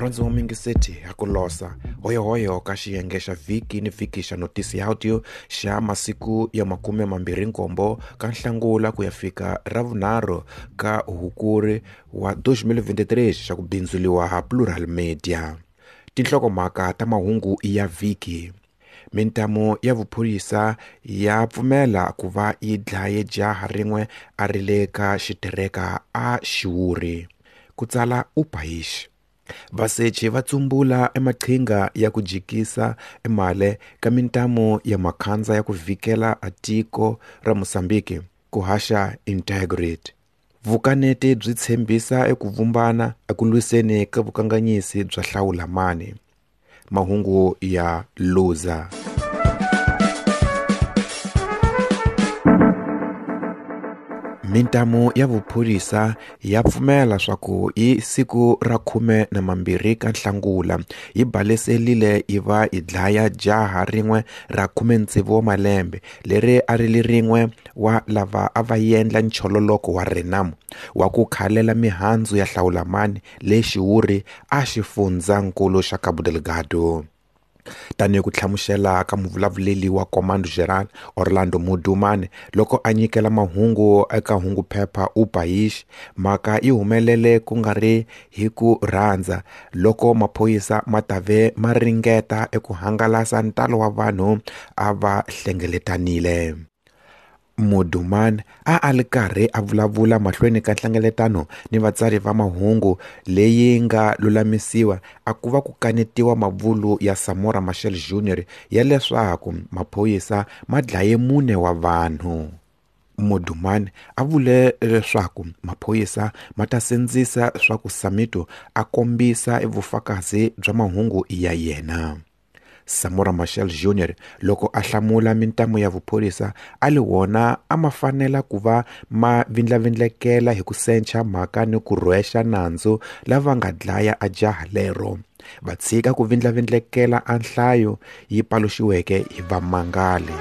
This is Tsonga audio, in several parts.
Murhandzi wa mingiseti ha ku losa hoyohoyo ka xiyenge xa vhiki ni vhiki xa notisi ya audio xa masiku ya 27 ka Nhlangula ku ya fika ra vunharhu ka Hukuri wa 2023 xa ku bindzuriwa ha Plural Media. Tinhlokomhaka ta mahungu ya vhiki. Mintamu ya vuphorisa ya pfumela ku va yi dlaye jaha rin'we a ri le ka xitereka a Xiwuri. Ku tsala Upaish. Vasechi va tsumbula emaqhinga ya ku jikisa emale ka mintamu ya makhandza ya ku vhikela a tiko ra Mozambique ku haxa Integrity. Vukaneti byi tshembisa eku vumbana eku lwiseni ka vukanganyisi bya hlawulamani. Mahungu ya Luza. Mintamu ya vuphorisa ya pfumela swa ku hi siku ra 12 ka Nhlangula yi baleselile yi va yi dlaya jaha rin'we ra 16 wa malembe leri a ri li rin'we wa lava a va endla nchololoko wa Renamo wa ku khalela mihandzu ya hlawulamani le Xiwuri a xifundzankulu xa Cabo Delgado. Tanihi ku hlamusela ka muvulavuleli wa Comando Geral Orlando Mudumane loko a nyikela mahungu eka hunguphepha Upaish, mhaka yi humelele ku nga ri hi ku rhandza loko maphorisa ma tave ma ringeta eku hangalasa ntalo wa vanhu a va hlengeletanile. Mudumane a a li karhi a vulavula mahlweni ka nhlengeletano ni vatsari va mahungu leyi nga lulamisiwa a ku va ku kanetiwa mavulu ya Samora Machel Jr ya leswaku maphorisa ma dlaye 4 wa vanhu. Mudumane a vule leswaku maphorisa ma ta sindzisa swa ku Samito a kombisa vufakazi bya mahungu ya yena. Samora Machel Jr loko a hlamula mintamu ya vuphorisa a li wona a ma fanela ku va ma vindlavindlekela hi ku sencha mhaka ni ku rhwexa nandzu lava nga dlaya a jaha lero, va tshika ku vindlavindlekela a nhlayo yi paluxiweke hi vamangali.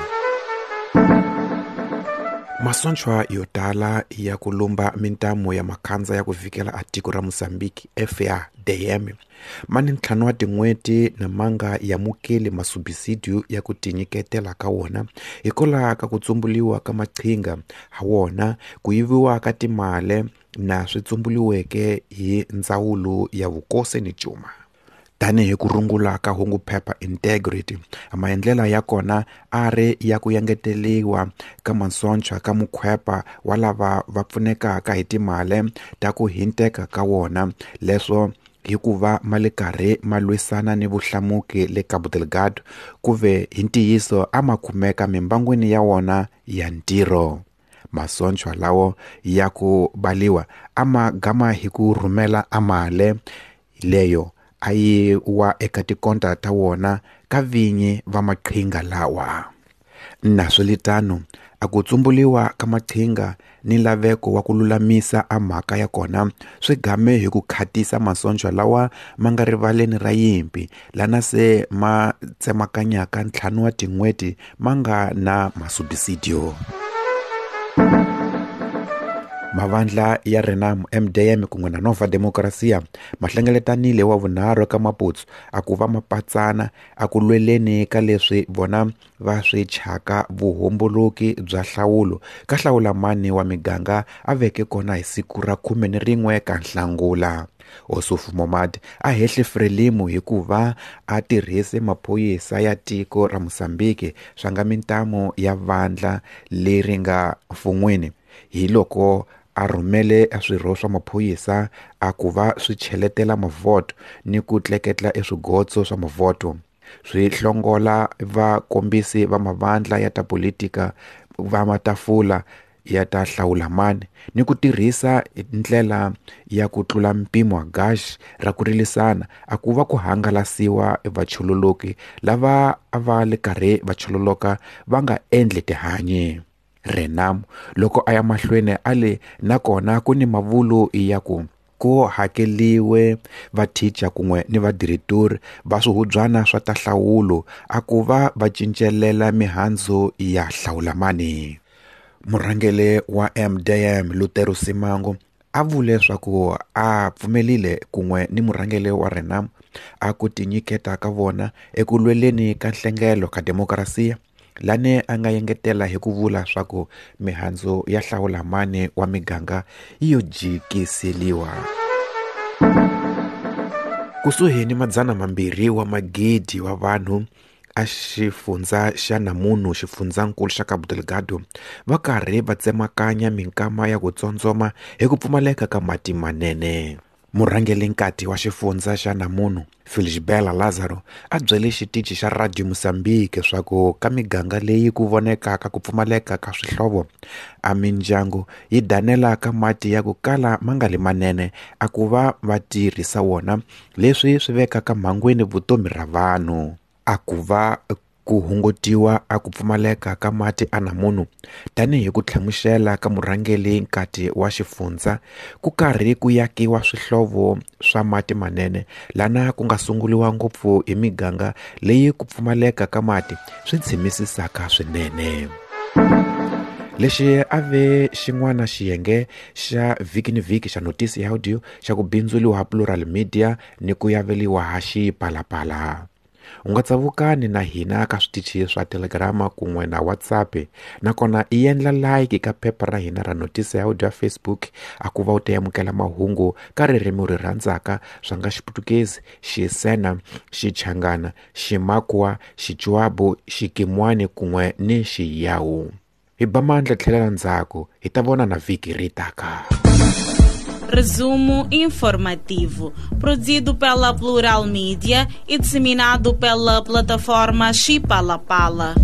Masontshwa yo tala ya ku lumba mintamu ya makhandza ya ku vikela a tiko ra Mozambique FADM ma ni 5 wa tin'hweti na manga ya mukeli masubisidio ya ku tinyiketela ka wona hikwalaho ka ku tsumbuliwa ka maqhinga ha wona, ku yiviwa ka timali na swi tsumbuliweke hi ndzawulo ya vukosi ni cuma. Tanihi ku rungula ka hunguphepha Integrity, maendlela ya kona a ri ya ku engeteriwa ka masontshwa ka mukhwepa wa lava va pfunekaka hi timali ta ku hinteka ka wona, leswo hikuva ma le karhi ma lwisana ni vuhlamuki le Cabo Delgado ku ve hi ntiyiso a ma kumeka mimbangwini ya wona ya ntirho. Masontshwa lawo ya ku baliwa a ma gama hi ku rhumela amale leyo a yi wa eka tikonta ta wona ka vinyi va maqhinga lawa. Naswelitano a ku tsumbuliwa ka maqhinga ni laveko wa ku lulamisa a mhaka ya kona swi game hi ku khatisa masontshwa lawa ma nga rivaleni ra yimpi lana se ma tsemakanyaka 5 wa tin'hweti ma nga na masubisidio. Mavandla ya Renamo, MDM kun'we na Nova Democracia ma hlengeletanile wa vunharhu ka Maputo a ku va mapatsana a ku lweleni ka leswi vona va swi chaka vuhomboloki bya hlawulo ka hlawulamani wa miganga a veke kona hi siku ra 11 ka Nhlangula. Ossufo Momad a hehle Frelimo hikuva a tirhise maphorisa ya tiko ra Mozambique swa nga mintamu ya vandla leri nga mfun'wini hi loko a rhumele swirho swa maphorisa a ku va swi cheletela mavhoto ni ku tleketla eswigotso swa mavhoto, swi hlongola vakombisi va mavandla ya ta politika va matafula ya ta hlawulamani ni ku tirhisa ndlela ya ku tlula mpimo wa gash ra ku rilisana a ku va ku hangalasiwa vachololoki lava a va le karhi va chololoka va nga endli tihanyi. Renamo loko a ya mahlweni a le nakona ku ni mavulu ya ku ku hakeliwe vathicha kun'we ni vadiretori va swihubyana swa ta hlawulo a ku va va cincelela mihandzu ya hlawulamani. Murhangeri wa MDM Lutero Simango A vule swaku a pfumelile kun'we ni murhangeri wa Renamo a ku tinyiketa ka vona eku lweleni ka nhlengelo ka demokrasiya, lane a nga yengetela hi ku vula swaku mihandzu ya hlawula mani wa miganga yi yo jikiseliwa. Kusuhi ni 200 wa magidi wa vanhu a xifundza xa Namuno, xifundzankulu xa Cabo Delgado, va karhi va tsemakanya minkama ya ku tsondzoma hi ku pfumaleka ka mati manene. Murhangeri-nkati wa xifundza xa Namuno, Felisbela Lazaro, a byele xitichi xa Radio Mozambique swaku ka miganga leyi ku vonekaka ku pfumaleka ka swihlovo, a mindyangu yi danela ka mati ya ku kala ma nga li manene a ku va va tirhisa wona, leswi swi vekaka mhangwini vutomi ra vanhu. A ku va ku hungutiwa a ku pfumaleka ka mati a Namuno, tanihi ku hlamusela ka murhangeri nkati wa xifundza, ku karhi ku yakiwa swihlovo swa mati manene lana ku nga sunguliwa ngopfu hi miganga leyi ku pfumaleka ka mati swi tshimisisaka swinene. Lexi a ve xin'wana xiyenge xa vhiki ni vhiki xa notisi ya audio xa ku bindzuriwa Plural Media ni ku yaveliwa ha Xipalapala. U nga tsavukani na hina ka switichi swa Telegram kun'we na WhatsApp, nakona i endla like ka phepha ra hina ra notisi ya audio ya Facebook a ku va u ta amukela mahungu ka ririmi u ri rhandzaka swa nga Xiputukezi, Xisena, Xichangana, Ximakwa, Xichuabu, Xikimwani kun'we ni Xiyawu. Hi ba mandla tlhelela ndzhaku, hi ta vona na vhiki ri taka. Resumo informativo, produzido pela Plural Mídia e disseminado pela plataforma Xipalapala.